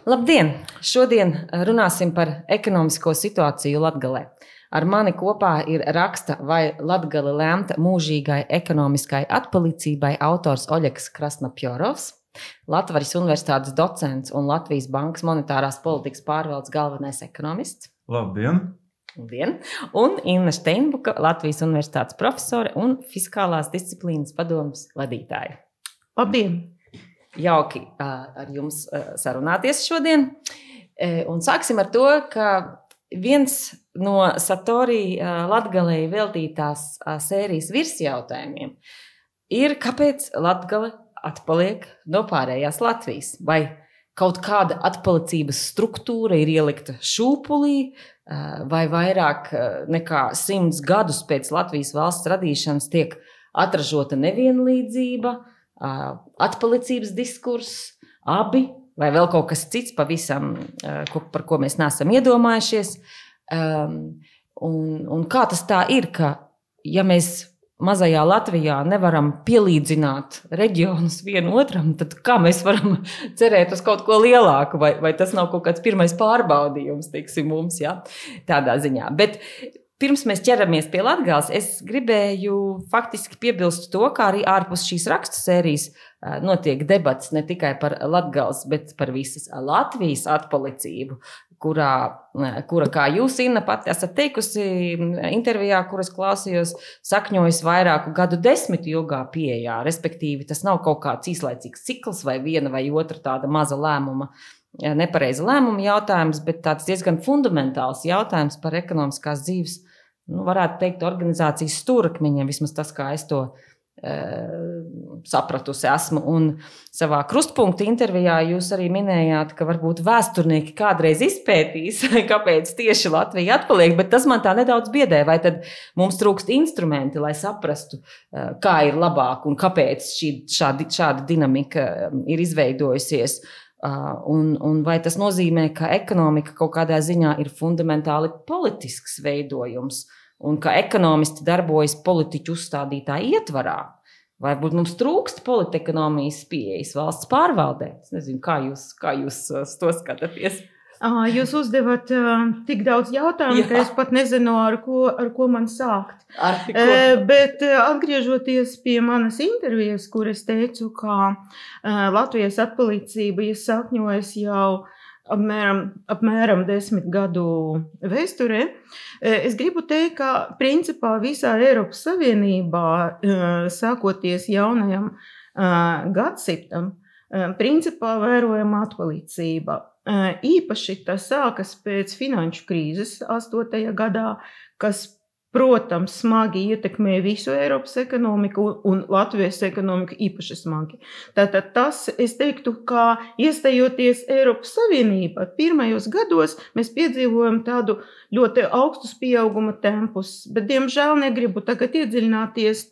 Labdien! Šodien runāsim par ekonomisko situāciju Latgalē. Ar mani kopā ir raksta Vai Latgale lemta mūžīgai ekonomiskai atpalicībai autors Oļegs Krasnapjorovs, Latvijas Universitātes docents un Latvijas Bankas monetārās politikas pārvaldes galvenais ekonomists. Labdien! Labdien! Un Inna Steinbuka, Latvijas Universitātes profesore un fiskālās disciplīnas padomes vadītāja. Labdien! Jauki ar jums sarunāties šodien. Un sāksim ar to, ka viens no Satori Latgalei veltītās sērijas virsjautājumiem ir, kāpēc Latgale atpaliek no pārējās Latvijas? Vai kaut kāda atpalicības struktūra ir ielikta šūpulī, vai vairāk nekā 100 gadus pēc Latvijas valsts radīšanas tiek atražota nevienlīdzība, atpalicības diskurss, abi, vai vēl kaut kas cits pavisam, par ko mēs neesam iedomājušies. Un kā tas tā ir, ka ja mēs mazajā Latvijā nevaram pielīdzināt reģionus vienu otram, tad kā mēs varam cerēt uz kaut ko lielāku, vai tas nav kaut kāds pirmais pārbaudījums, teiksim, mums, ja? Tādā ziņā. Bet pirms mēs ķeramies pie Latgales, es gribēju faktiski piebilst to, kā arī ārpus šīs rakstu sērijas notiek debats ne tikai par Latgales, bet par visas Latvijas atpalicību, kura, kā jūs, Inna, pati esat teikusi intervijā, kuras klausījos, sakņojas vairāku gadu desmitu ilgā pieejā, respektīvi tas nav kaut kāds īslaicīgs cikls vai viena vai otra tāda maza lēmuma, nepareiza lēmuma jautājums, bet tāds diezgan fundamentāls jautājums par ekonomiskās dzīves, varētu teikt, organizācijas stūrakmeņiem, vismaz tas, kā es to sapratusi esmu. Un savā krustpunkta intervijā jūs arī minējāt, ka varbūt vēsturnieki kādreiz izpētīs, kāpēc tieši Latvija atpaliek, bet tas man tā nedaudz biedē, vai tad mums trūkst instrumenti, lai saprastu, kā ir labāk un kāpēc šāda dinamika ir izveidojusies. Un vai tas nozīmē, ka ekonomika kaut kādā ziņā ir fundamentāli politisks veidojums un ka ekonomisti darbojas politiķu uzstādītā ietvarā? Vai varbūt mums trūkst politekonomijas pieejas valsts pārvaldē? Es nezinu, kā jūs to skatāties? Jūs uzdevat tik daudz jautājumu, ka es pat nezinu, ar ko man sākt. Bet atgriežoties pie manas intervijas, kur es teicu, ka Latvijas atpalicība iesakņojas jau apmēram 10 gadu vēsturē, es gribu teikt, ka principā visā Eiropas Savienībā, sākoties jaunajam gadsimtam, principā vērojama atpalicība. Īpaši tas sākas pēc finanšu krīzes 8. gadā, kas, protams, smagi ietekmē visu Eiropas ekonomiku un Latvijas ekonomiku īpaši smagi. Tātad tas, es teiktu, ka iestājoties Eiropas Savienībā, pirmajos gados mēs piedzīvojam tādu ļoti augstus pieauguma tempus, bet, diemžēl, negribu tagad iedziļināties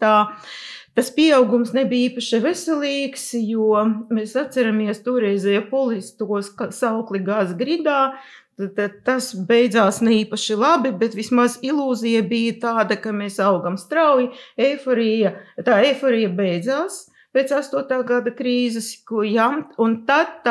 Tas pieaugums nebija īpaši veselīgs, jo mēs atceramies toreizējo politistos saukli gāz gridā. Tas beidzās ne īpaši labi, bet vismaz ilūzija bija tāda, ka mēs augam strauji, tā eiforija beidzās pēc 8. gada krīzes, un tad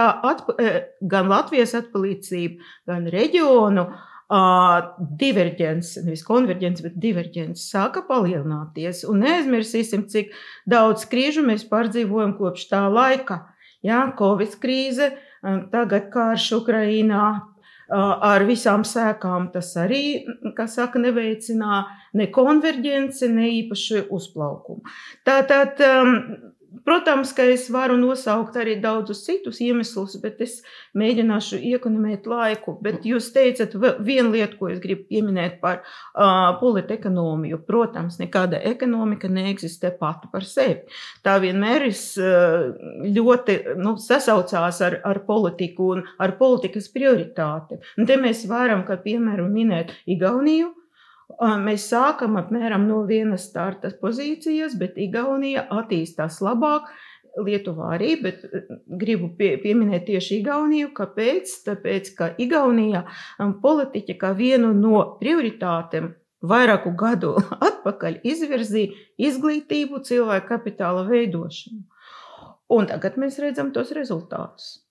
gan Latvijas atpalicība, gan reģionu diverģence, nevis konverģence, bet diverģence sāka palielināties. Un neaizmirsīsim, cik daudz krīžu mēs pārdzīvojam kopš tā laika. Covid krīze, tagad karš Ukrainā, ar visām sēkām tas arī, kā saka, neveicina ne konverģence, ne īpaši uzplaukumu. Tātad, protams, ka es varu nosaukt arī daudzus citus iemeslus, bet es mēģināšu iekonomēt laiku. Bet jūs teicat vienu lietu, ko es gribu pieminēt par politekonomiju. Protams, nekāda ekonomika neeksistē pati par sevi. Tā vienmēr ļoti sasaucās ar politiku un ar politikas prioritāti. Un te mēs varam, kā piemēram, minēt Igauniju. Mēs sākam apmēram no vienas starta pozīcijas, bet Igaunija attīstās labāk, Lietuvā arī, bet gribu pieminēt tieši Igauniju. Kāpēc? Tāpēc, ka Igaunija politiķa kā vienu no prioritātēm vairāku gadu atpakaļ izvirzīja izglītību, cilvēku kapitāla veidošanu. Un tagad mēs redzam tos rezultātus.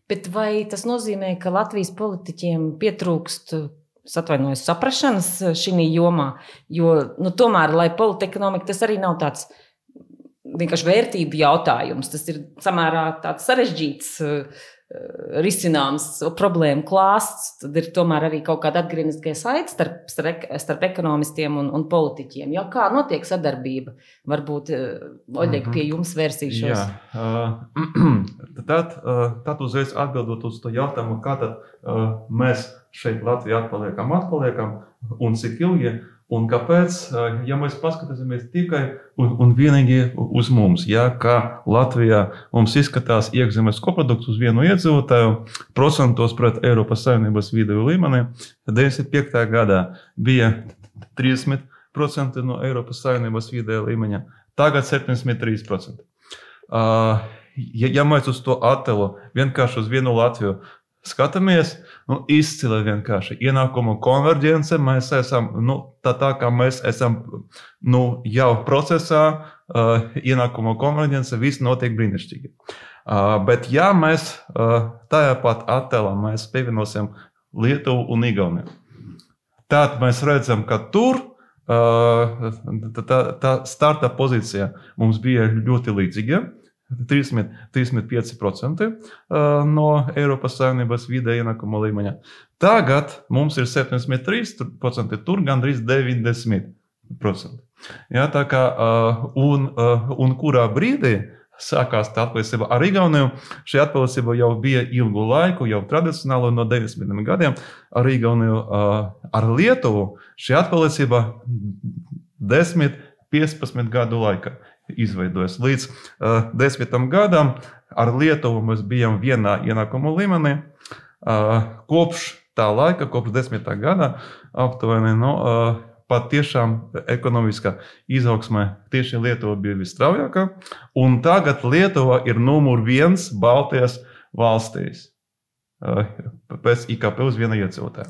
Bet vai tas nozīmē, ka Latvijas politiķiem pietrūkst saprašanas šī jomā? Jo tomēr, lai politekonomika, tas arī nav tāds vienkārši vērtību jautājums. Tas ir samērā tāds sarežģīts risināms problēmu klāsts. Tad ir tomēr arī kaut kāda atgriezniskā saite starp ekonomistiem un politiķiem. Ja, kā notiek sadarbība? Varbūt, Oļeg, pie jums vērsīšos. Tad uzreiz atbildot uz to jautājumu, kā tad mēs šeit Latvijā atpaliekam un cik ilgi. Un kāpēc, ja mēs paskatāmies tikai un vienīgi uz mums, ja, kā Latvijā mums izskatās iekšzemes koprodukts uz vienu iedzīvotāju, procentos pret Eiropas Savienības vidēju līmeni, 95. gadā bija 30% no Eiropas Savienības vidēja līmeņa, tagad 73%. Ja mēs uz to attēlu vienkārši uz vienu Latviju skatāmies, izcili vienkārši ienākumu konverģence, mēs esam, tā kā mēs esam jau procesā, ienākumu konverģence, viss notiek brīnišķīgi. Bet ja mēs tajā pat attēlā mēs pievienosim Lietuvu un Igauniju, tad mēs redzam, ka tur tā starta pozīcija mums bija ļoti līdzīga. 35% no Eiropas Savienības vidēja ienākuma līmeņa. Tagad mums ir 73%, tur gandrīz 90%. Ja, tā kā, un kurā brīdī sākās tā atpalicība ar Igauniju, šī atpalicība jau bija ilgu laiku, jau tradicionāli no 90. gadiem ar Igauniju, ar Lietuvu šī atpalicība 10-15 gadu laikā izveidojas. Līdz 10 gadam ar Lietuvu mēs bijām vienā ienākumu līmenī. Kopš tā laika, kopš 10. gada aptuveni, pat tiešām ekonomiskā izaugsmē tieši Lietuva bija visstraujākā. Un tagad Lietuva ir numur 1 Baltijas valstīs. Pēc IKP uz vienu iedzīvotāju.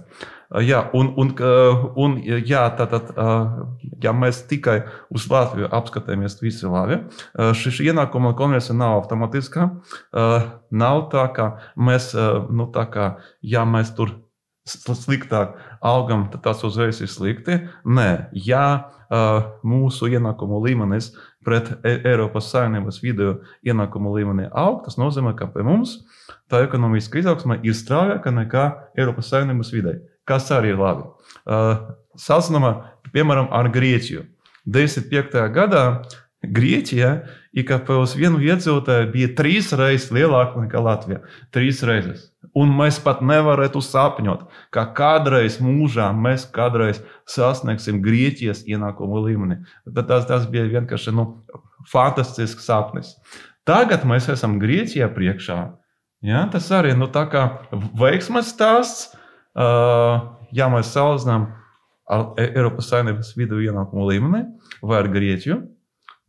Ja mēs tikai uz Latviju apskatāmies visi labi, šī ienākuma konversija nav automatiskā. Nav tā, ka mēs, ja mēs tur sliktāk augam, tad tas uzreiz ir slikti. Nē, ja mūsu ienākumu līmenis pret Eiropas Savienības vidēju ienākumu līmeni aug, tas nozīmē, ka pie mums tā ekonomiska izaugsme ir straujāka nekā Eiropas Savienības vidēji, kas arī ir labi. Salīdzinājumā, piemēram, ar Grieķiju. 95. gadā Grieķijā IKP uz vienu iedzīvotāju bija 3 reizes lielāka nekā Latvijā. 3 reizes. Un mēs pat nevarētu sapņot, ka kādreiz mūžā mēs kādreiz sasniegsim Grieķijas ienākumu līmeni. Tas bija vienkārši fantastisks sapnis. Tagad mēs esam Grieķijā priekšā. Ja, tas arī tā kā veiksmes stāsts, ja mēs salīdzinām ar Eiropas Savienības vidēju ienākumu līmeni vai ar Grieķiju,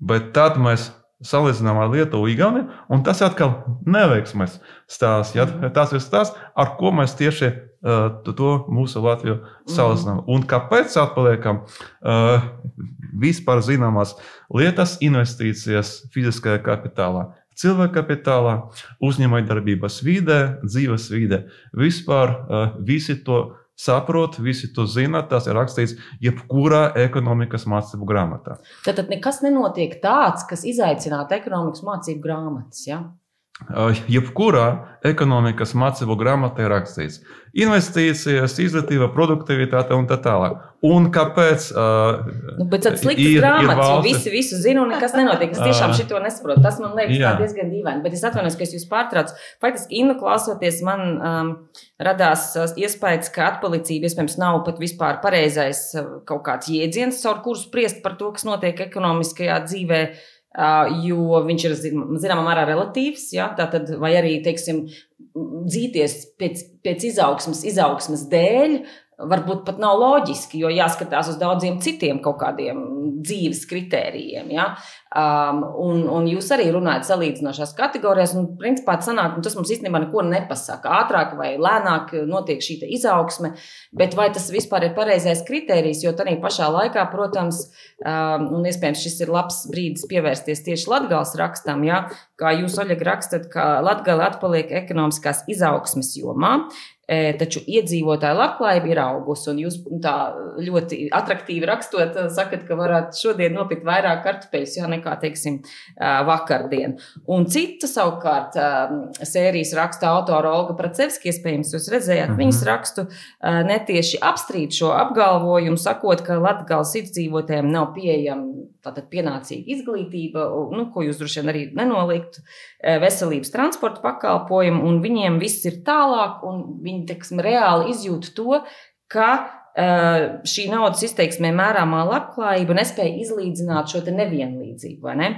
bet tad mēs salīdzinām ar Lietuvu, Igauniju, un tas atkal neveiksmes stāsts. Ja? Tas ir stāsts, ar ko mēs tieši to mūsu Latviju salīdzinām. Un kāpēc atpaliekam vispār zināmās lietas, investīcijas fiziskajā kapitālā, cilvēka kapitālā, uzņēmējdarbības vidē, dzīves vidē. Vispār visi to saprot, visi to zina, tas ir rakstīts jebkurā ekonomikas mācību grāmatā. Tad nekas nenotiek tāds, kas izaicinātu ekonomikas mācību grāmatas, ja? Jebkurā ekonomikas mācību grāmatā ir rakstīts investīcijas, izglītība, produktivitāte un tā tālāk. Un kāpēc? Bet tad sliktas grāmatas, visu zinu un nekas nenotiek. Es tiešām šito nesaprotu. Tas man liekas tā diezgan dīvaini. Bet es atvainojos, ka es jūs pārtraucu. Faktiski, Innu klausoties, man radās iespējas, ka atpalicība iespējams nav pat vispār pareizais kaut kāds jēdziens, caur kuru spriest par to, kas notiek ekonomiskajā dzīvē. Jo viņš ir zināmā mērā relatīvs, ja? Tātad, vai arī, teiksim, dzīties pēc izaugsmes dēļ, varbūt pat nav loģiski, jo jāskatās uz daudziem citiem kaut kādiem dzīves kritērijiem. Ja? Un jūs arī runājat salīdzinošās kategorijās, un principā tas mums īstenībā neko nepasaka. Ātrāk vai lēnāk notiek šī izaugsme, bet vai tas vispār ir pareizais kritērijs, jo tādā pašā laikā, protams, un iespējams šis ir labs brīdis pievērsties tieši Latgales rakstam, ja? Kā jūs, Oļega, rakstat, ka Latgale atpaliek ekonomiskās izaugsmes jomā, taču iedzīvotāju labklājība ir augusi, un jūs tā ļoti atraktīvi rakstot, sakat, ka varētu šodien nopirkt vairāk kartupeļus, nekā, teiksim, vakardien. Un cita savukārt sērijas raksta autora Olga Pracevska, iespējams, jūs redzējāt viņas rakstu, netieši apstrīd šo apgalvojumu, sakot, ka Latgales iedzīvotājiem nav pieejama tātad pienācīga izglītība, ko jūs droši vien arī nenoliegtu, veselības transporta pakalpojumu, un viņiem viss ir tālāk, un viņi, teiksim, reāli izjūt to, ka šī naudas izteiksmē mērāmā labklājība nespēja izlīdzināt šo te nevienlīdzību, vai ne?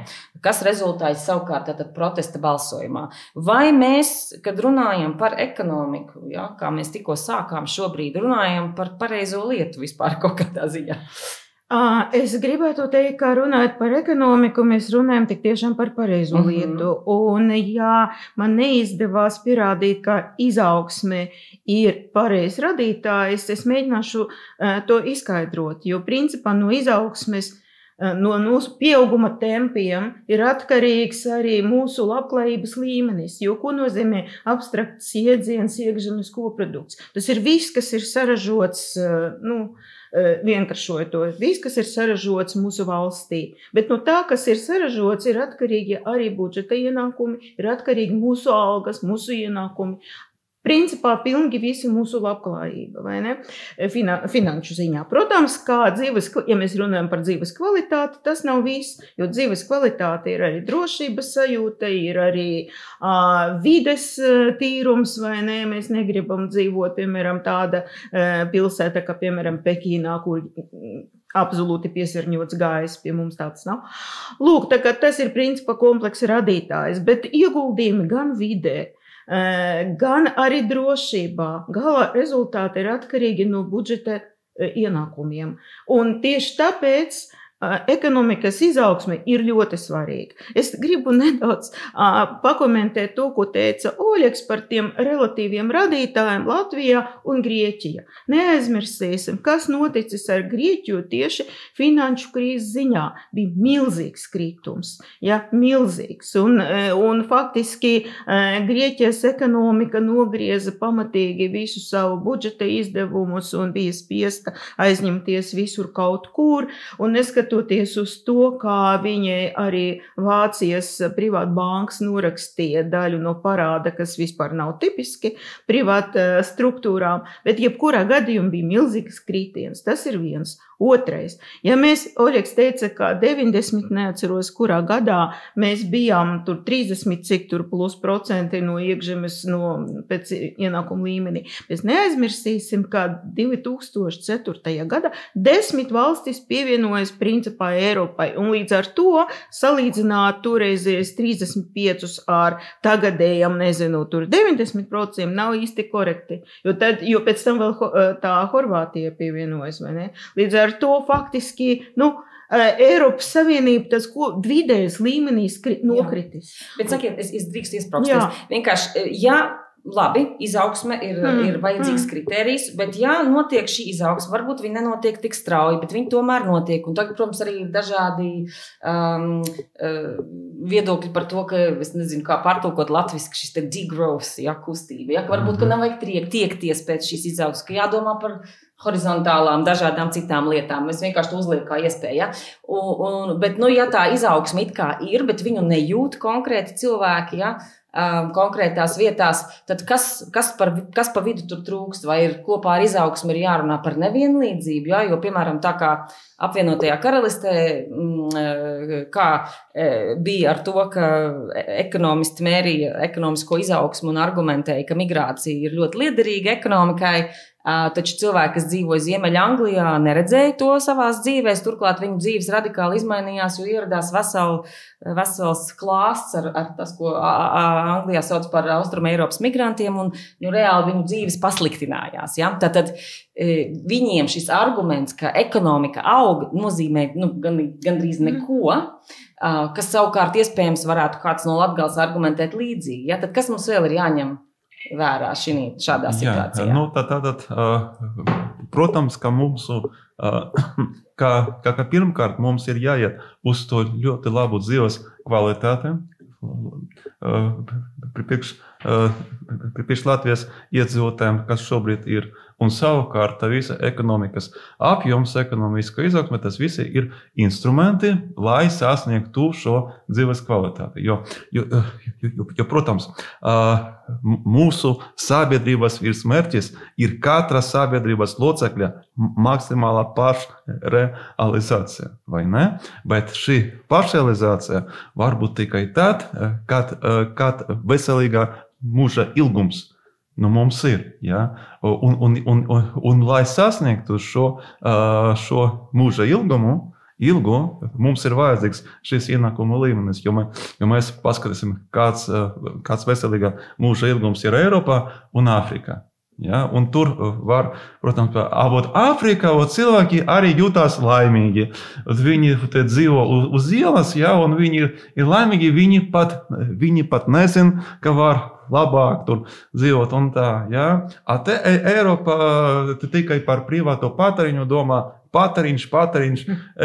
Kas rezultāts savukārt tātad protesta balsojumā. Vai mēs, kad runājam par ekonomiku, ja, kā mēs tikko sākām šobrīd, runājam par pareizo lietu vispār kaut kādā ziņā? Es gribētu teikt, ka runājot par ekonomiku, mēs runājam tik tiešām par pareizo lietu. Un, ja man neizdevās pierādīt, ka izaugsme ir pareizs radītājs, es mēģināšu to izskaidrot. Jo principā no izaugsmes, no mūsu pieauguma tempiem ir atkarīgs arī mūsu labklājības līmenis. Jo ko nozīmē abstrakts iedziens iekšzemes koprodukts? Tas ir viss, kas ir saražots, vienkāršojot to, viss, kas ir saražots mūsu valstī. Bet no tā, kas ir saražots, ir atkarīgi arī budžeta ienākumi, ir atkarīgi mūsu algas, mūsu ienākumi. Principā pilnīgi visi mūsu labklājība, vai ne? Finanšu ziņā. Protams, ja mēs runājam par dzīves kvalitāti, tas nav viss, jo dzīves kvalitāte ir arī drošības sajūta, ir arī vides tīrums, vai ne? Mēs negribam dzīvot, piemēram, tāda pilsēta, kā, piemēram, Pekīnā, kur absolūti piesārņots gaiss, pie mums tāds nav. Lūk, tā kā tas ir principā komplekss radītājs, bet ieguldījumi gan vidē, gan arī drošībā. Gala rezultāti ir atkarīgi no budžeta ienākumiem. Un tieši tāpēc ekonomikas izaugsme ir ļoti svarīga. Es gribu nedaudz pakomentēt to, ko teica Oļegs par tiem relatīviem radītājiem Latvijā un Grieķijā. Neaizmirsīsim, kas noticis ar Grieķiju tieši finanšu krīzes ziņā. Bija milzīgs kritums, milzīgs. Un faktiski Grieķijas ekonomika nogrieza pamatīgi visu savu budžeta izdevumus un bija spiesta aizņemties visur kaut kur. Un neskatoties uz to, kā viņai arī Vācijas privātbankas norakstīja daļu no parāda, kas vispār nav tipiski privāta struktūrām, bet jebkurā gadījumā bija milzīgs kritiens. Tas ir viens. Otrais. Ja mēs, Oļegs teica, ka 90, neatceros, kurā gadā mēs bijām tur 30, cik tur plus procenti no iekšzemes, pēc ienākuma līmenī. Mēs neaizmirsīsim, ka 2004. Gadā 10 valstis pievienojas principā Eiropai, un līdz ar to salīdzināt toreizies 35 ar tagadējam, tur 90% nav īsti korekti, jo pēc tam vēl tā Horvātija pievienojas, vai ne? Līdz ar to faktiski, Eiropas Savienība tas vidējais līmenīs nokritis. Bet sakiet, es drīkst iesprauksties. Vienkārši, labi, izaugsme ir vajadzīgs kritērijs, bet notiek šī izaugsme, varbūt viņi nenotiek tik strauji, bet viņi tomēr notiek. Un tagad, protams, arī ir dažādi viedokļi par to, ka, es nezinu, kā pārtulkot latviski šis te degrowth, kustība. Ka varbūt, ka nav vajag tiekties pēc šīs izaugsmes, ka jādomā par horizontālām, dažādām citām lietām. Mēs vienkārši to uzliekam kā iespēju. Bet, tā izaugsme it kā ir, bet viņu nejūt konkrēti cilvēki, konkrētās vietās, tad kas pa vidu tur trūkst? Vai ir kopā ar izaugsmi ir jārunā par nevienlīdzību? Jo, piemēram, tā kā apvienotajā karalistē, kā bija ar to, ka ekonomisti mērīja ekonomisko izaugsmu un argumentēja, ka migrācija ir ļoti liederīga ekonomikai, taču cilvēki, kas dzīvoja Ziemeļanglijā, neredzēja to savās dzīvēs. Turklāt viņu dzīves radikāli izmainījās, jo ieradās vesels klāsts ar tas, ko Anglijā sauc par Austruma Eiropas migrantiem, un reāli viņu dzīves pasliktinājās. Ja? Tātad viņiem šis arguments, ka ekonomika aug, nozīmē gandrīz neko, kas savukārt iespējams varētu kāds no Latgales argumentēt līdzīgi. Ja? Tad kas mums vēl ir jāņem vērā šādā situācijā? Tātad, protams, ka mūsu, ka pirmkārt mums ir jāiet uz to ļoti labu dzīves kvalitāti. Priekš Latvijas iedzīvotājiem, kas šobrīd ir, un savukārt visa ekonomikas apjoms, ekonomiska izaugsme, tas visi ir instrumenti, lai sasniegtu šo dzīves kvalitāti. Jo, protams, mūsu sabiedrības virsmērķis ir katra sabiedrības locekļa maksimālā pašrealizācija, vai ne? Bet šī pašrealizācija var būt tikai tad, kad veselīgā mūža ilgums mums ir. Ja? Un lai sasniegtu šo mūža ilgu, mums ir vajadzīgs šis ienākuma līmenis, jo mēs paskatīsim, kāds veselīgā mūža ilgums ir Eiropā un Āfrikā. Ja? Un tur var, protams, Āfrikā cilvēki arī jūtās laimīgi. Viņi dzīvo uz ielas, ja? Un viņi ir laimīgi, viņi pat nezin, ka var labāk tur dzīvot un tā. Ja? Te Eiropa tikai par privāto patēriņu domā. Patēriņš,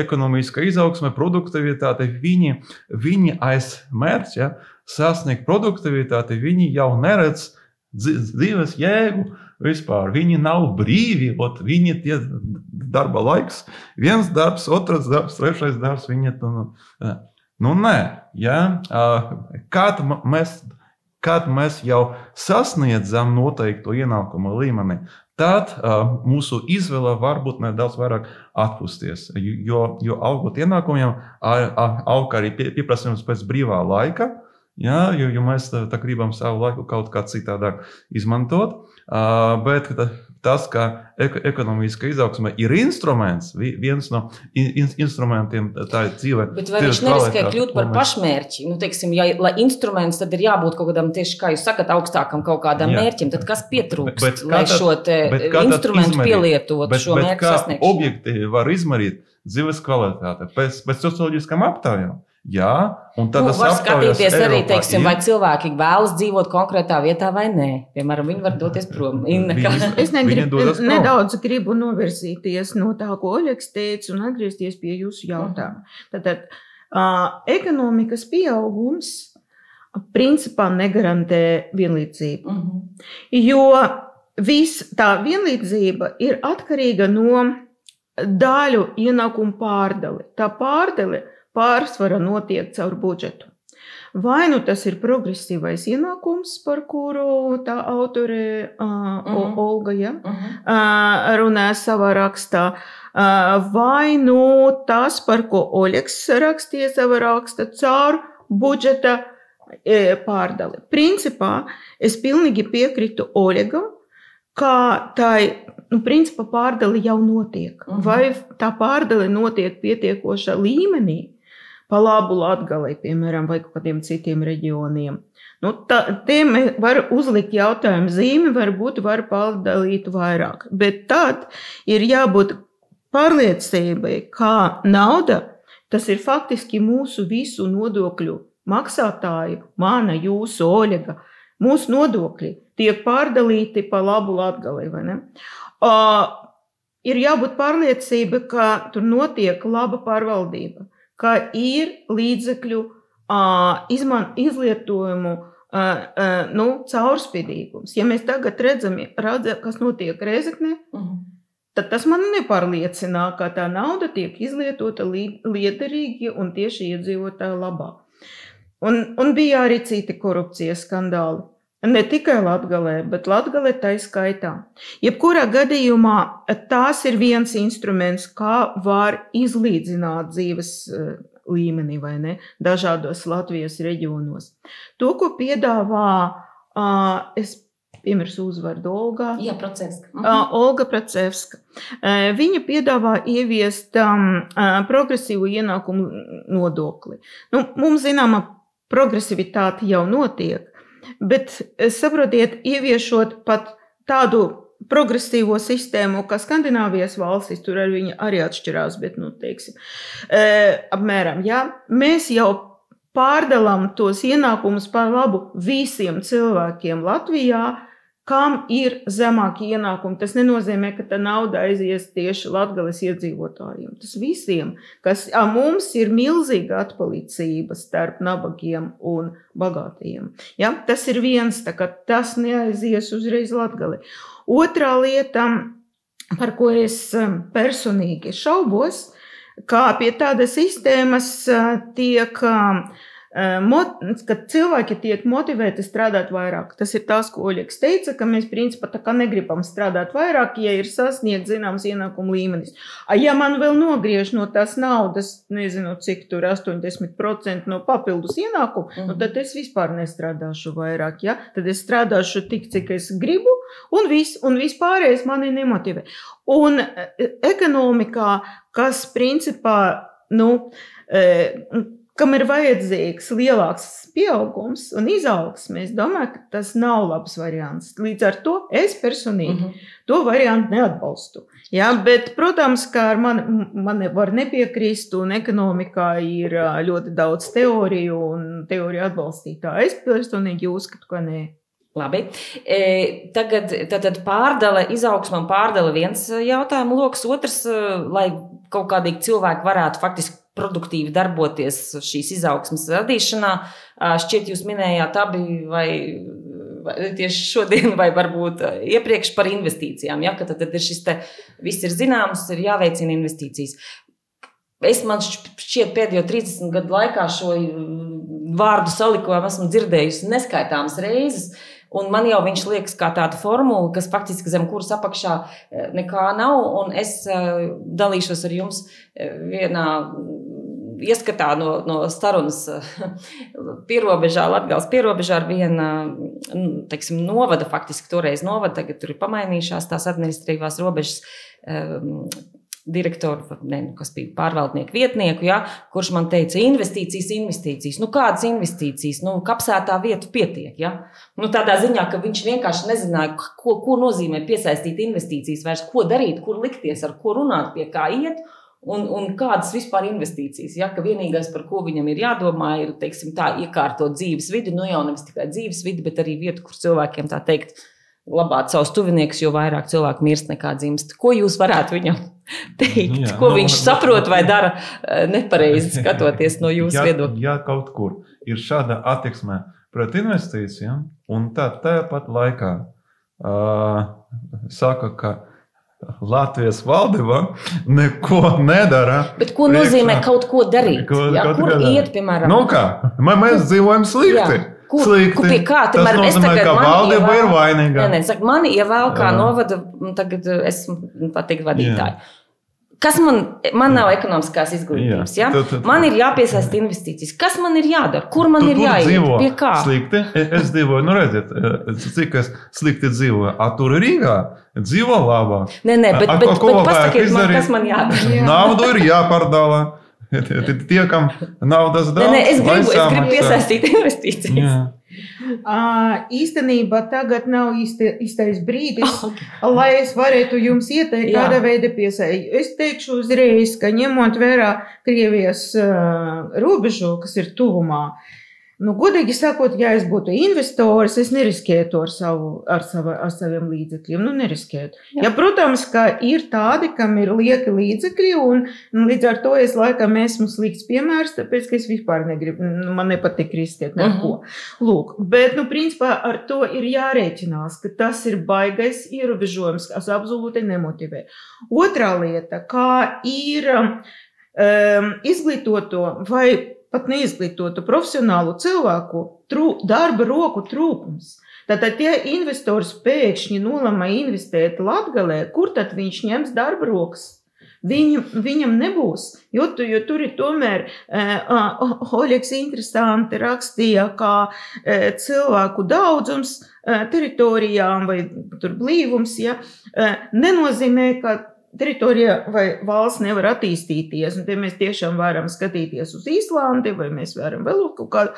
ekonomiska izaugsme, produktivitāte. Viņi aiz mērķa, ja? Sasniegt produktivitāti, viņi jau neredz dzīves jēgu vispār. Viņi nav brīvi, viņi tie darba laiks. Viens darbs, otrs darbs, trešais darbs. Nē. Ja? Kad mēs jau sasniedzam noteiktu ienākuma līmeni, tad mūsu izvēle var būt nedaudz vairāk atpūsties. Jo augot ienākumiem, aug arī pieprasījums pēc brīvā laika. Ja, jo mēs gribam savu laiku kaut kā citādāk izmantot, bet tas, ka ekonomiska izaugsme ir instruments, viens no instrumentiem, tā ir dzīve. Bet vai viņš neriskē kļūt par pašmērķi? Teiksim, lai instruments, tad ir jābūt kaut kādam tieši, kā jūs sakat, augstākam kaut kādam mērķim. Tad kas pietrūkst, lai šo instrumentu pielietotu šo mērķu sasniegšanu? Kā objektīvi var izmērīt dzīves kvalitāti pēc socioloģiskām aptaujām? Jā, un tad var skatīties arī, teiksim, vai cilvēki vēlas dzīvot konkrētā vietā vai nē. Piemēram, viņi var doties prom. Es nedaudz gribu novirzīties no tā, ko Oļegs teica, un atgriezties pie jūsu jautājuma. Tātad, ekonomikas pieaugums principā negarantē vienlīdzību. Jo tā vienlīdzība ir atkarīga no daļu ienākumu pārdali. Tā pārdali pārsvara notiek caur budžetu. Vai tas ir progresīvais ienākums, par kuru tā autore Olga runā savā rakstā, vai tas, par ko Oļegs rakstīja savā rakstā, caur budžeta pārdali. Principā es pilnīgi piekrītu Oļegam, ka principā pārdali jau notiek. Vai tā pārdali notiek pietiekošā līmenī, pa labu Latgalei, piemēram, vai kādiem citiem reģioniem. Tiem var uzlikt jautājumu zīmi, varbūt var pārdalīt vairāk. Bet tad ir jābūt pārliecībai, ka nauda, tas ir faktiski mūsu visu nodokļu maksātāju, mana, jūsu, Oļega, mūsu nodokļi tiek pārdalīti pa labu Latgalei, vai ne? Ir jābūt pārliecība, ka tur notiek laba pārvaldība, ka ir līdzekļu izlietojumu caurspīdīgums. Ja mēs tagad redzam, kas notiek Rēzeknē, tad tas man nepārliecinā, ka tā nauda tiek izlietota liederīgi un tieši iedzīvotāju labā. Un bija arī citi korupcijas skandāli. Ne tikai Latgalē, bet Latgalē tai skaitā. Jebkurā gadījumā tās ir viens instruments, kā var izlīdzināt dzīves līmenī, vai ne, dažādos Latvijas reģionos. To, ko piedāvā, es piemērs uzvārdu Olga. Jā, Procevska. Olga Procevska. Viņa piedāvā ieviest progresīvu ienākumu nodokli. Mums zināma progresivitāte jau notiek, bet saprotiet, ieviešot pat tādu progresīvo sistēmu, kā Skandināvijas valstis, tur arī atšķirās, bet, teiksim, apmēram, jā, mēs jau pārdalām tos ienākumus par labu visiem cilvēkiem Latvijā, kam ir zemāki ienākumi. Tas nenozīmē, ka tā nauda aizies tieši Latgales iedzīvotājiem. Tas visiem, kas mums ir milzīga atpalicība starp nabagiem un bagātajiem. Ja? Tas ir viens, tā kā tas neaizies uzreiz Latgali. Otrā lieta, par ko es personīgi šaubos, kā pie tādas sistēmas tiek kad cilvēki tiek motivēti strādāt vairāk. Tas ir tas, ko Oļegs teica, ka mēs principā tā kā negribam strādāt vairāk, ja ir sasniegt zināms ienākumu līmenis. Ja man vēl nogriež no tās naudas, nezinu, cik tur 80% no papildus ienākumu, tad es vispār nestrādāšu vairāk. Ja? Tad es strādāšu tik, cik es gribu, un vispārējais mani nemotivē. Un ekonomikā, kas principā, kam ir vajadzīgs lielāks pieaugums un izaugsme, es domāju, ka tas nav labs variants. Līdz ar to es personīgi to variantu neatbalstu. Jā, bet, protams, ka ar mani var nepiekrist, un ekonomikā ir ļoti daudz teoriju un teoriju atbalstītāju. Es personīgi uzskatu, ka nē. Labi. Tagad pārdale, izaugsme un pārdale viens jautājumu loks, otrs, lai kaut kādīgi cilvēki varētu faktiski produktīvi darboties šīs izaugsmes radīšanā. Šķiet, jūs minējāt abi vai tieši šodien, vai varbūt iepriekš par investīcijām. Ja? Ka tad ir šis te, viss ir zināms, ir jāveicina investīcijas. Man šķiet pēdējo 30 gadu laikā šo vārdu salikojumu esmu dzirdējusi neskaitāmas reizes. Un man jau viņš liekas kā tāda formula, kas faktiski zem kuras apakšā nekā nav. Un es dalīšos ar jums vienā ieskatā no starunas pierobežā, Latgales pierobežā ar viena, teiksim, novada, faktiski toreiz novada, tagad tur ir pamainījušās tās administratīvās robežas direktoru, kas bija pārvaldnieku vietnieku, ja, kurš man teica, investīcijas. Kādas investīcijas? Kapsētā vietu pietiek. Ja? Tādā ziņā, ka viņš vienkārši nezināja, ko nozīmē piesaistīt investīcijas, vairs ko darīt, kur likties, ar ko runāt, pie kā iet. Un kādas vispār investīcijas, ja, ka vienīgais, par ko viņam ir jādomā, ir, teiksim, tā iekārtot dzīves vidi, jau nevis tikai dzīves vidi, bet arī vietu, kur cilvēkiem tā teikt, labāt savus tuviniekus, jo vairāk cilvēku mirst nekā dzimst. Ko jūs varētu viņam teikt? Ko viņš saprot vai dara nepareizi, skatoties no jūsu viedokļa? Ja kaut kur ir šāda attieksme pret investīcijām, un tāpat laikā saka, ka Latvijas valdība neko nedara. Bet ko nozīmē kaut ko darīt? Kur iet, piemēram? Mēs dzīvojam slikti. Pie kā? Tas nozīmē, ka valdība ir vainīga. Mani ievēl kā novada, tagad esmu pateikt vadītāji. Kas man nav ekonomiskās izglītības, ja? Man ir jāpiesaista investīcijas. Kas man ir jādara? Kur man ir jāiet? Pie kā? Slikti. Es dzīvoju, redziet, cik es slikti dzīvoju. Tur Rīgā dzīvo labāk. Nē, bet pasakiet man, kas man jādara. Naudu ir jāpārdala. Tie, kam naudas daudz. Es gribu piesaistīt investīcijas. Īstenībā tagad nav īstais brīdis, lai es varētu jums ieteikt, kāda veida piesaistīt. Es teikšu uzreiz, ka ņemot vērā Krievijas robežu, kas ir tuvumā, godīgi sakot, ja es būtu investors, es neriskētu ar saviem līdzekļiem. Neriskētu. Ja, protams, ka ir tādi, kam ir lieki līdzekļi, un līdz ar to es laikam esmu slikts piemērs, tāpēc, ka es vispār negribu, man nepatīk riskēt neko. Lūk, bet, principā ar to ir jārēķinās, ka tas ir baigais ierobežojums, kas absolūti nemotivē. Otrā lieta, kā ir izglītoto vai pat neizglītotu profesionālu cilvēku darba roku trūkums. Tātad, ja investors pēkšņi nolemā investēt Latgalē, kur tad viņš ņems darba rokas? viņam nebūs. Jo tur ir tomēr, Oļegs interesanti rakstīja, kā cilvēku daudzums teritorijām vai tur blīvums, ja, nenozīmē, ka teritorija vai valsts nevar attīstīties, un te mēs tiešām varam skatīties uz Īslandi, vai mēs varam vēl kaut kādu,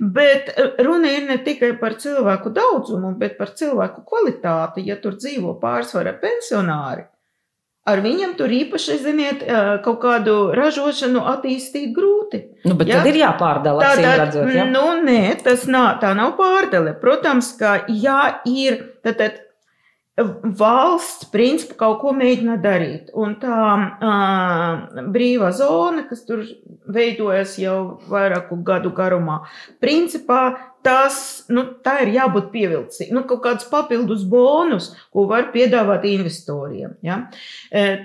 bet runa ir ne tikai par cilvēku daudzumu, bet par cilvēku kvalitāti, ja tur dzīvo pārsvara pensionāri. Ar viņam tur īpaši, ziniet, kaut kādu ražošanu attīstīt grūti. Bet tad ir jāpārdala, acīm redzot, ja? Nē, tā nav pārdale. Protams, ka ir, tad valsts principā kaut ko mēģina darīt. Un tā brīvā zona, kas tur veidojas jau vairāku gadu garumā, principā tā ir jābūt pievilcīgi. Kaut kāds papildus bonus, ko var piedāvāt investoriem. Ja?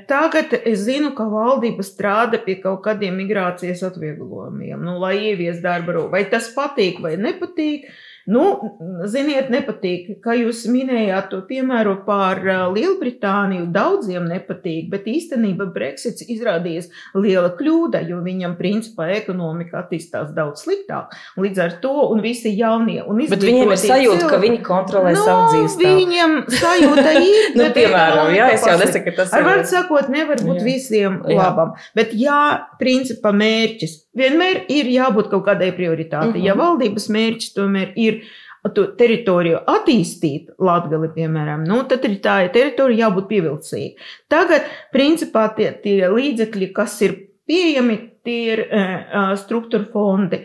Tagad es zinu, ka valdība strādā pie kaut kādiem migrācijas atvieglojumiem, lai ievies darba roku. Vai tas patīk vai nepatīk? Ziniet, nepatīk, kā jūs minējāt to piemēru par Lielbritāniju, daudziem nepatīk, bet īstenībā Brexits izrādījies liela kļūda, jo viņam principā ekonomika attīstās daudz sliktāk. Līdz ar to un visi jaunie un izglītotie. Bet viņiem ir sajūta, ka viņi kontrolē savu dzīvestāvu. Viņam sajūta ir. Piemēram, jā, es jau nesaku, ka tas ir. Ar vārdu sakot, nevar būt visiem labam, bet principā mērķis. Vienmēr ir jābūt kaut kādai prioritātei. Ja valdības mērķis tomēr ir teritoriju attīstīt Latgali, piemēram, tad ir tā teritorija jābūt pievilcīga. Tagad, principā, tie līdzekļi, kas ir pieejami, tie ir struktūra fondi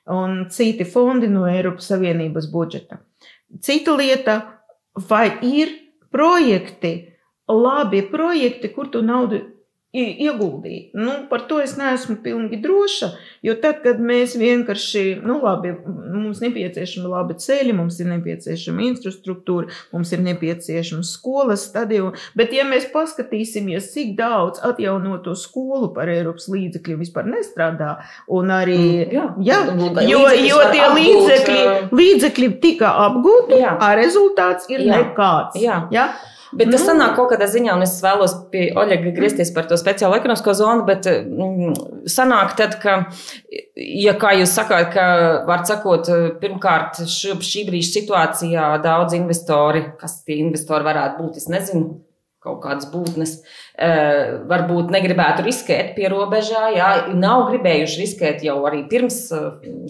un citi fondi no Eiropas Savienības budžeta. Cita lieta, vai ir projekti, labi projekti, kur tu naudu ieguldīt. Par to es neesmu pilnīgi droša, jo tad, kad mēs vienkārši, mums nepieciešami labi ceļi, mums ir nepieciešama infrastruktūra, mums ir nepieciešama skolas stadioni, bet ja mēs paskatīsimies, cik daudz atjaunoto skolu par Eiropas līdzekļiem vispār nestrādā, un arī, jo tie līdzekļi tika apgūti, a rezultāts ir nekāds. Jā. Bet tas sanāk kaut kādā ziņā, un es vēlos pie Oļega griezties par to speciālo ekonomisko zonu, bet sanāk tad, ka, ja kā jūs sakāt, ka, var sakot, pirmkārt, šī brīža situācijā daudz investori, kas tie investori varētu būt, es nezinu, kaut kādas būtnes, varbūt negribētu riskēt pie robežā, nav gribējuši riskēt jau arī pirms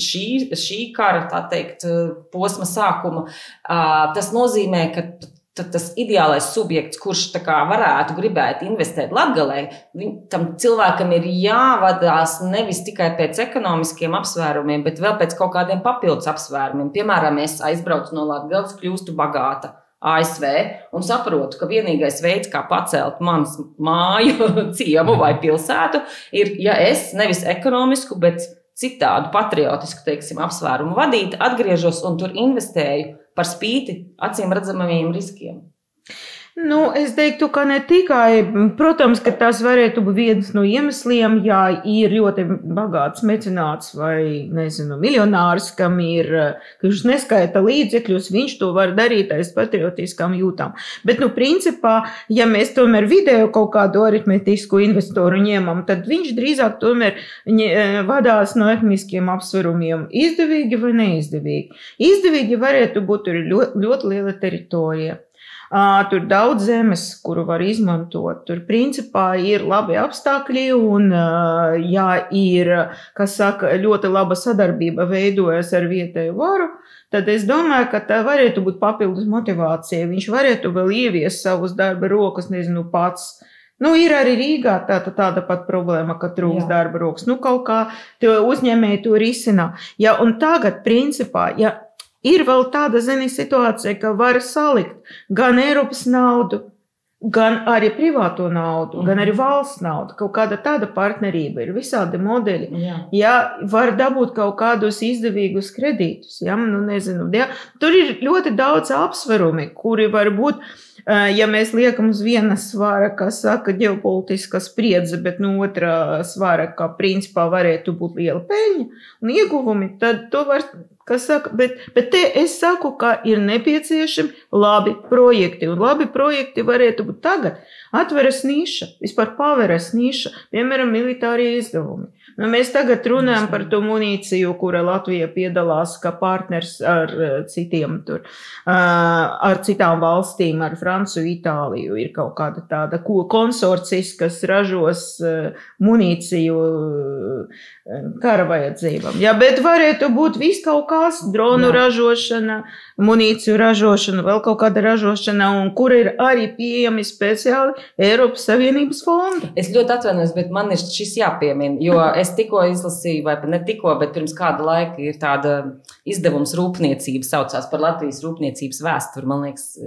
šī kara, tā teikt, posma sākuma. Tas nozīmē, ka tad tas ideālais subjekts, kurš tā kā varētu gribēt investēt Latgalē, tam cilvēkam ir jāvadās nevis tikai pēc ekonomiskiem apsvērumiem, bet vēl pēc kaut kādiem papildus apsvērumiem. Piemēram, es aizbraucu no Latgales, kļūstu bagāta ASV un saprotu, ka vienīgais veids, kā pacelt manas māju, ciemu vai pilsētu, ir, ja es nevis ekonomisku, bet citādu patriotisku, teiksim, apsvērumu vadīt, atgriežos un tur investēju par spīti acīm redzamajiem riskiem. Es teiktu, ka ne tikai, protams, ka tas varētu būt viens no iemesliem, ja ir ļoti bagāts mecenāts vai, miljonārs, kam ir, kurš neskaita līdzekļus, viņš to var darīt aiz patriotiskām jūtām. Bet, principā, ja mēs tomēr vidēju kaut kādu aritmetisku investoru ņemam, tad viņš drīzāk tomēr vadās no ekonomiskiem apsvarumiem izdevīgi vai neizdevīgi. Izdevīgi varētu būt tur ļoti liela teritorija. Tur daudz zemes, kuru var izmantot. Tur principā ir labi apstākļi un, ja ir, ļoti laba sadarbība veidojas ar vietēju varu, tad es domāju, ka tā varētu būt papildus motivācija. Viņš varētu vēl ieviest savus darba rokas, pats. Ir arī Rīgā tāda pat problēma, ka trūks darba rokas. Kaut kā uzņēmēji to risina. Un tagad, principā, ir vēl tāda situācija, ka var salikt gan Eiropas naudu, gan arī privāto naudu, gan arī valsts naudu. Kaut kāda tāda partnerība ir, visādi modeļi. Var dabūt kaut kādus izdevīgus kredītus. Tur ir ļoti daudz apsverumi, kuri var būt, ja mēs liekam uz viena svara, kas saka ģeopolitiskā spriedze, bet no otra svara, ka principā varētu būt liela peļņa un ieguvumi, tad to var Bet te es saku, ka ir nepieciešami labi projekti. Un labi projekti varētu būt tagad. Atveras niša, vispār paveras niša, piemēram, militārie izdevumi. Mēs tagad runājam par to munīciju, kura Latvija piedalās kā partners ar citiem tur, ar citām valstīm, ar Franciju, Itāliju. Ir kaut kāda tāda konsorcijas, kas ražos munīciju kara vajadzībām. Jā, bet varētu būt viss kaut kas, dronu ražošana, munīciju ražošana, vēl kaut kāda ražošana, un kur ir arī pieejami speciāli Eiropas Savienības fondi. Es ļoti atvainojos, bet man ir šis jāpiemina, jo es tikko izlasīju, vai ne tikko, bet pirms kāda laika ir tāda izdevums rūpniecība, saucās par Latvijas rūpniecības vēsturi, man liekas,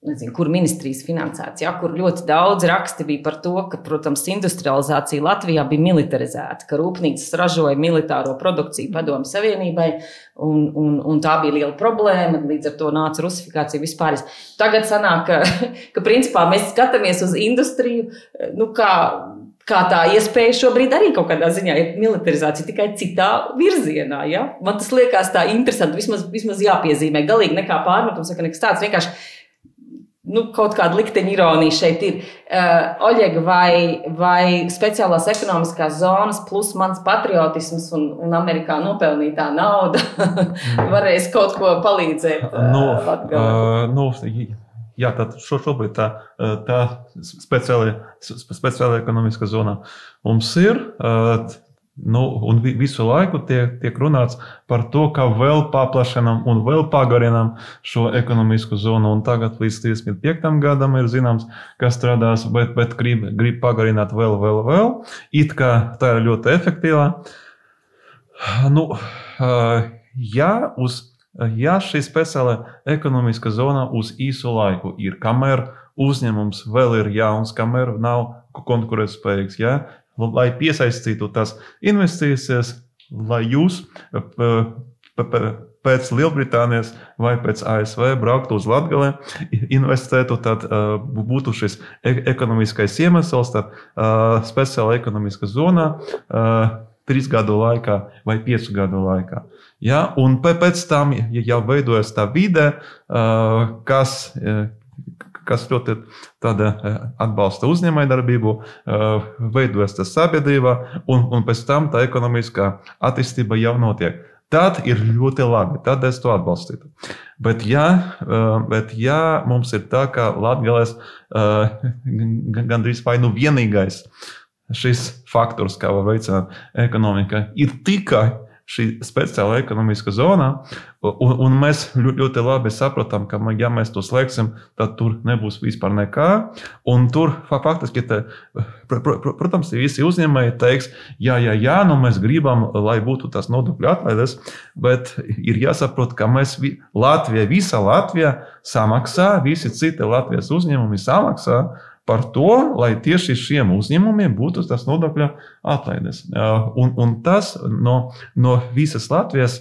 nezinu, kur ministrijas finansēts, ja, kur ļoti daudz raksti bija par to, ka, protams, industrializācija Latvijā bija militarizēta, ka rūpnīcas ražoja militāro produkciju Padomju Savienībai, un tā bija liela problēma, līdz ar to nāca rusifikācija vispār. Tagad sanāk, ka principā mēs skatāmies uz industriju, kā tā iespēja šobrīd arī kaut kādā ziņā ir militarizācija, tikai citā virzienā. Ja? Man tas liekas tā interesanti, vismaz jāpiezīmē, galīgi nekā pārmetums, ka nekas tāds vienkārši kaut kāda likteņa ironija šeit ir. Oļega, vai speciālās ekonomiskās zonas plus mans patriotisms un Amerikā nopelnītā nauda varēs kaut ko palīdzēt Latgalē? Jā, tad šobrīd tā speciāla ekonomiskā zona mums ir. Un visu laiku tiek runāts par to, ka vēl paplašinām un vēl pagarinām šo ekonomisko zonu. Un tagad līdz 35. gadam ir zināms, kas strādās, bet grib pagarināt vēl. It kā tā ir ļoti efektīvā. Ja šī speciāla ekonomiska zona uz īsu laiku ir, kamēr uzņēmums vēl ir jauns, kamēr nav konkurētspējīgs, ja? Lai piesaistītu tās investīcijas, lai jūs pēc Lielbritānijas vai pēc ASV brauktu uz Latgali, investētu, tad būtu šis ekonomiskais iemesls, tad speciāla ekonomiska zona 3 gadu laikā vai 5 gadu laikā. Ja? Un pēc tam jau veidojas tā vide, kas ļoti atbalsta uzņēmējdarbību, veidojas tā sabiedrība, un pēc tam tā ekonomiskā attīstība jau notiek. Tad ir ļoti labi, tad es to atbalstītu. Bet ja mums ir tā, ka Latgales gandrīz vai vienīgais šis faktors, kā var veicināt ekonomika, ir tikai šī speciāla ekonomiska zona, un mēs ļoti labi saprotam, ka, ja mēs to slēgsim, tad tur nebūs vispār nekā. Un tur faktiski, protams, visi uzņēmēji teiks, jā, mēs gribam, lai būtu tas nodokļu atlaides, bet ir jāsaprot, ka mēs visa Latvija samaksā, visi citi Latvijas uzņēmumi samaksā par to, lai tieši šiem uzņēmumiem būtu tas nodokļu atlaides. Un tas no visas Latvijas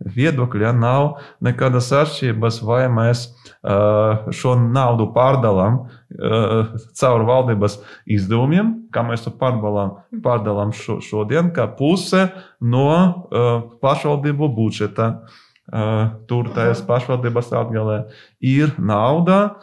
viedokļa nav nekādas atšķirības, vai mēs šo naudu pārdalām caur valdības izdevumiem, kā mēs to pārdalām šodien, kā puse no pašvaldību budžeta. Tur tajās pašvaldības Latgalē ir nauda,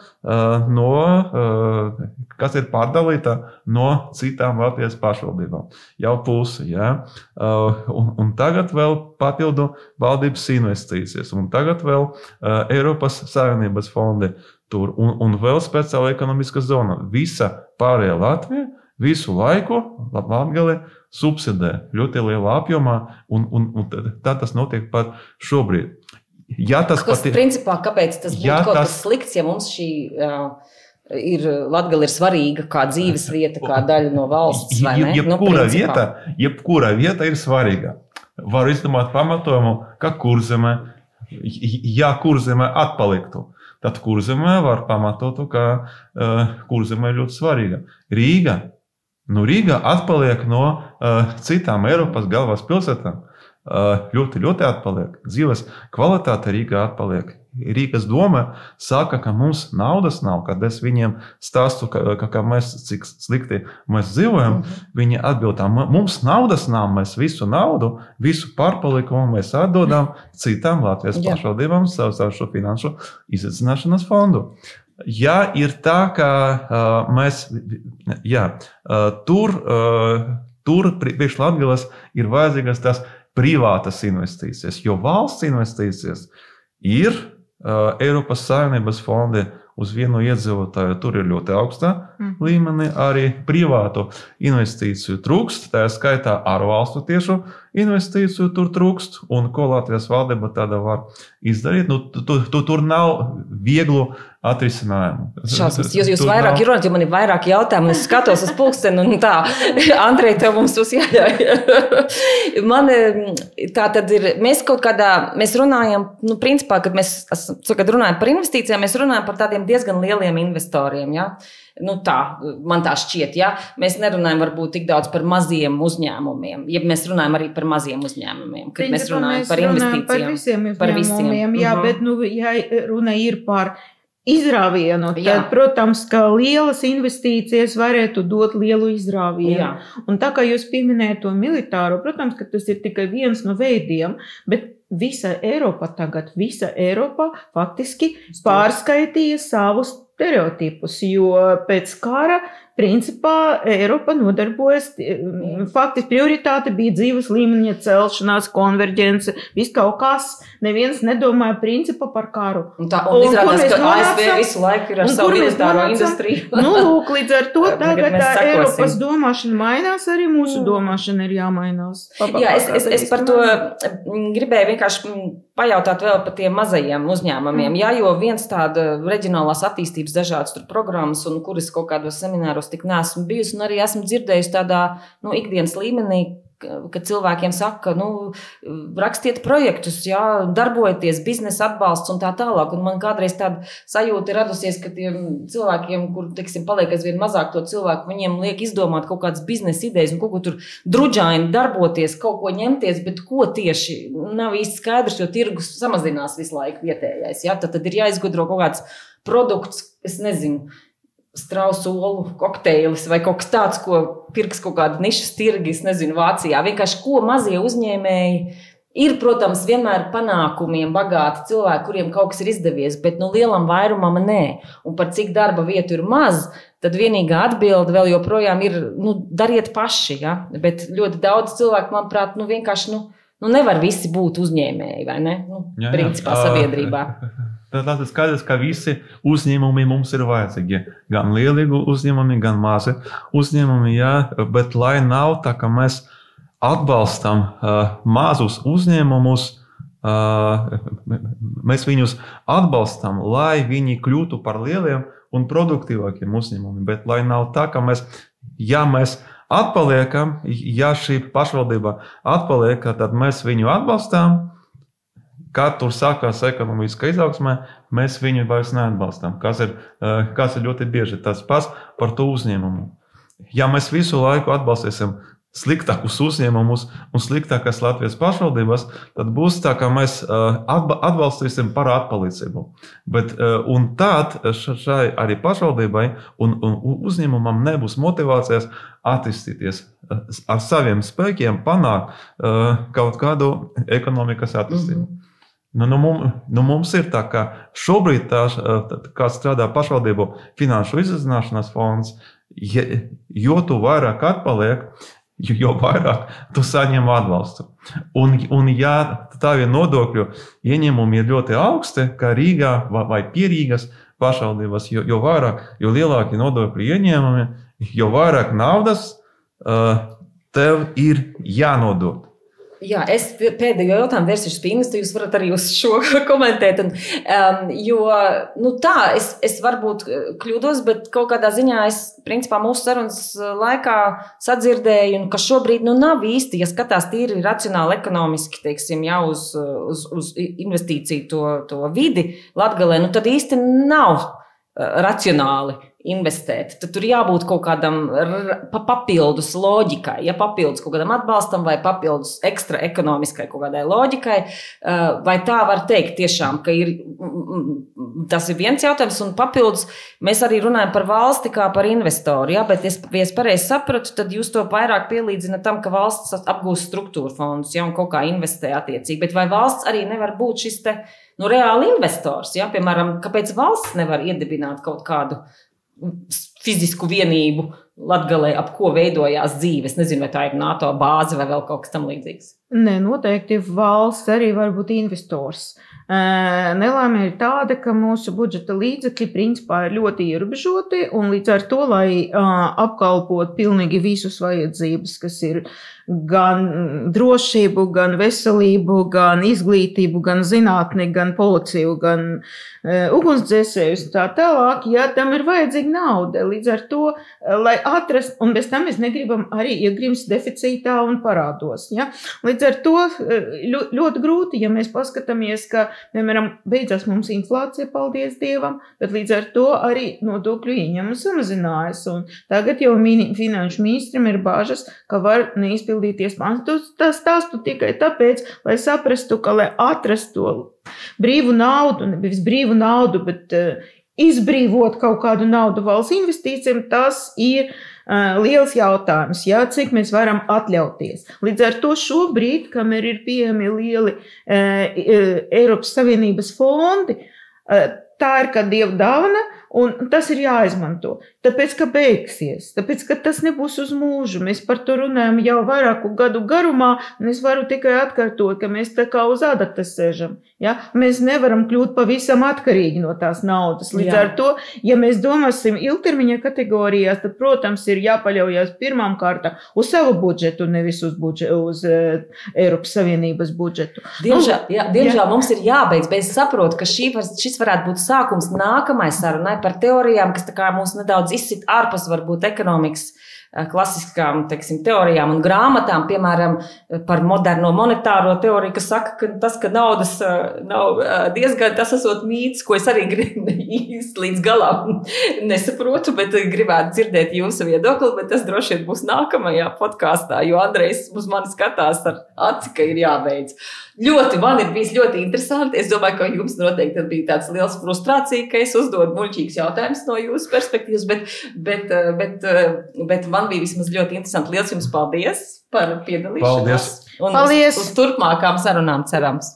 kas ir pārdalīta no citām Latvijas pašvaldībām. Jau pusi, ja? Un tagad vēl papildu valdības investīcijas, un tagad vēl Eiropas Savienības fondi tur, un vēl speciāla ekonomiska zona. Visa pārējā Latvija visu laiku Latgali subsidē ļoti lielā apjomā, un tā tas notiek pat šobrīd. Principā, kāpēc tas būtu kaut kas slikts, ja mums šī Latgale ir svarīga kā dzīves vieta, kā daļa no valsts, vai ne? Jebkura vieta ir svarīga. Var izdomāt pamatojumu, ka Kurzeme, ja Kurzeme atpaliktu, tad Kurzeme var pamatot, ka Kurzeme ir ļoti svarīga. Rīga atpaliek no citām Eiropas galvaspilsētām. Ļoti atpaliek. Dzīves kvalitāte Rīgā atpaliek. Rīgas doma saka, ka mums naudas nav, kad es viņiem stāstu, ka mēs cik slikti mēs dzīvojam, viņi atbild tā, mums naudas nav, mēs visu naudu, visu pārpalikumu mēs atdodam citām Latvijas pašvaldībām savu šo finanšu izaicināšanas fondu. Ja ir tā, ka mēs, tur priekš Latgales ir vajadzīgas tās privātas investīcijas, jo valsts investīcijas ir Eiropas Savienības fondi uz vienu iedzīvotāju, tur ir ļoti augstā līmenī, arī privātu investīciju trūkst, tā skaitā ārvalstu tiešu investīciju tur trūkst, un ko Latvijas valdība tāda var izdarīt, tur nav vieglu atrisinājumu. Šausmas, jūs vairāk runājat, jo man ir vairāk jautājumu, es skatos uz pulksteni un tā, Andrej, tev mums tos jāļauj. Tā tad ir, mēs kaut kādā, mēs runājam, principā, kad runājam par investīcijām, mēs runājam par tādiem diezgan lieliem investoriem, ja? Tā, man tā šķiet, ja? Mēs nerunājam varbūt tik daudz par maziem uzņēmumiem, ja mēs runājam arī par maziem uzņēmumiem, kad mēs runājam par investīcijām. Par visiem uzņēmumiem, jā, bet ja runa ir par izrāvienu, tad, protams, ka lielas investīcijas varētu dot lielu izrāvienu. Jā. Un tā kā jūs pieminējat to militāro, protams, ka tas ir tikai viens no veidiem, bet visa Eiropa faktiski pārskaitīja savus stereotipus, jo pēc kara principā Eiropa nodarbojas, faktiski prioritāte bija dzīves līmeņa celšanās, konverģence, viss kaut kas, neviens nedomāja principā par karu. Un izrādās, ka ASV visu laiku ir ar savu militāro industriju. Lūk, līdz ar to tagad Eiropas domāšana mainās, arī mūsu domāšana ir jāmainās. Jā, es par to gribēju vienkārši pajautāt vēl par tiem mazajiem uzņēmumiem, jo viens tāda reģionālās attīstības dažādas tur programmas, un kuras kaut kādos semināros tik neesmu bijusi, un arī esmu dzirdējusi tādā ikdienas līmenī, kad cilvēkiem saka, rakstiet projektus, darbojieties, biznesa atbalsts un tā tālāk. Un man kādreiz tāda sajūta ir radusies, ka tiem cilvēkiem, kur, paliek aizvien mazāk to cilvēku, viņiem liek izdomāt kaut kādas biznesa idejas un kaut ko tur druģaini darboties, kaut ko ņemties, bet ko tieši nav īsti skaidrs, jo tirgus samazinās visu laiku vietējais. Tad ir jāizgudro kaut kāds produkts, es nezinu, strausu olu kokteilis vai kaut kas tāds, ko pirks kaut kāda nišas tirgi, es nezinu, Vācijā. Vienkārši ko mazie uzņēmēji ir, protams, vienmēr panākumiem bagāti cilvēki, kuriem kaut kas ir izdevies, bet lielam vairumam nē. Un par cik darba vietu ir maz, tad vienīgā atbilde vēl joprojām ir, dariet paši, ja? Bet ļoti daudz cilvēku, manuprāt, vienkārši, nevar visi būt uzņēmēji, vai ne? Principā sabiedrībā. Tas ir skaidrs, ka visi uzņēmumi mums ir vajadzīgi. Gan lieli uzņēmumi, gan mazi uzņēmumi, bet lai nav tā, ka mēs atbalstam mazus uzņēmumus, mēs viņus atbalstam, lai viņi kļūtu par lieliem un produktīvākiem uzņēmumiem, bet lai nav tā, ka mēs atpaliekam, šī pašvaldība atpaliek, tad mēs viņu atbalstām. Kad tur sākās ekonomiskā izaugsmē, mēs viņu vairs neatbalstām, kas ir ļoti bieži tas pats par to uzņēmumu. Ja mēs visu laiku atbalstīsim sliktākus uzņēmumus un sliktākas Latvijas pašvaldības, tad būs tā, ka mēs atbalstīsim par atpalīdzību. Un tad šai arī pašvaldībai un uzņēmumam nebūs motivācijas attīstīties ar saviem spēkiem, panākt kaut kādu ekonomikas attīstību. Mums ir tā, ka šobrīd kā strādā pašvaldību finanšu izaicināšanas fonds, jo tu vairāk atpaliek, jo vairāk tu saņem atbalstu. Un ja tavi nodokļu ieņēmumi ir ļoti augsti, kā Rīgā vai pie Rīgas pašvaldības, jo lielāki nodokļu ieņēmumi, jo vairāk naudas tev ir jānodot. Jā, es pēdējo jautājumu vērsīšu pie Ingas, jūs varat arī uz šo komentēt. Es varbūt kļūdos, bet kaut kādā ziņā es, principā, mūsu sarunas laikā sadzirdēju, ka šobrīd nav īsti, ja skatās tīri racionāli ekonomiski, uz investīciju to vidi Latgalē, tad īsti nav racionāli investēt, tad tur jābūt kaut kādam papildus loģikai, papildus kaut kādam atbalstam vai papildus ekstra ekonomiskai kaut kādai loģikai. Vai tā var teikt tiešām, ka tas ir viens jautājums, un papildus mēs arī runājam par valsti kā par investoru, ja? Bet, ja es pareizi sapratu, tad jūs to vairāk pielīdzināt tam, ka valsts apgūst struktūra fondus, ja, un kaut kā investē attiecīgi. Bet vai valsts arī nevar būt šis reāli investors? Ja? Piemēram, kāpēc valsts nevar iedibināt kaut kādu fizisku vienību Latgalē, ap ko veidojās dzīve? Es nezinu, vai tā ir NATO bāze vai vēl kaut kas tam līdzīgs. Nē, noteikti valsts arī var būt investors. Nelaime ir tāda, ka mūsu budžeta līdzekļi principā ir ļoti ierobežoti, un līdz ar to, lai apkalpot pilnīgi visus vajadzības, kas ir gan drošību, gan veselību, gan izglītību, gan zinātni, gan policiju, gan ugunsdzēsējus un tā tālāk, ja tam ir vajadzīga nauda. Līdz ar to, lai atrast, un bez tam mēs negribam arī iegrimst deficītā un parādos. Ja? Līdz ar to ļoti grūti, ja mēs paskatāmies, ka, piemēram, beidzās mums inflācija, paldies Dievam, bet līdz ar to arī nodokļu ieņēmumi samazinājās. Un tagad jau finanšu ministram ir bāžas, ka var neizpildīties plāns. Tas stāstu tikai tāpēc, lai saprastu, ka, lai atrastu to brīvu naudu, nevis brīvu naudu, bet izbrīvot kaut kādu naudu valsts investīcijiem, tas ir liels jautājums, ja, cik mēs varam atļauties. Līdz ar to šobrīd, kamēr ir pieejami lieli Eiropas Savienības fondi, tā ir kā Dieva dāvana, un tas ir jāizmanto. Tāpēc, ka beigsies, tāpēc, ka tas nebūs uz mūžu. Mēs par to runājam jau vairāku gadu garumā, un es varu tikai atkārtot, ka mēs tā kā uz adatas sēžam. Ja? Mēs nevaram kļūt pavisam atkarīgi no tās naudas. Līdz ar to, ja mēs domāsim ilgtermiņa kategorijās, tad, protams, ir jāpaļaujas pirmām kārtām uz savu budžetu, nevis uz Eiropas Savienības budžetu. Diemžēl mums ir jābeidz, bet es saprotu, ka šis varētu būt sākums nākamai sarunai par teorijām, kas tā kā mūs nedaudz izsit ārpus varbūt ekonomikas klasiskām, teiksim, teorijām un grāmatām, piemēram, par moderno monetāro teoriju, kas saka, ka tas, ka naudas nav diezgan, tas esot mīts, ko es arī īsti līdz galam nesaprotu, bet gribētu dzirdēt jūsu viedokli, bet tas droši vien būs nākamajā podkāstā, jo Andrejs uz mani skatās ar aci, ka ir jābeidz. Man ir bijis ļoti interesanti. Es domāju, ka jums noteikti bija tāds liels frustrācija, ka es uzdodu muļķīgs jautājums no jūsu perspektīvas, bet man bija vismaz ļoti interesanti. Liels jums paldies par piedalīšanos. Paldies. Un paldies. Uz turpmākām sarunām cerams.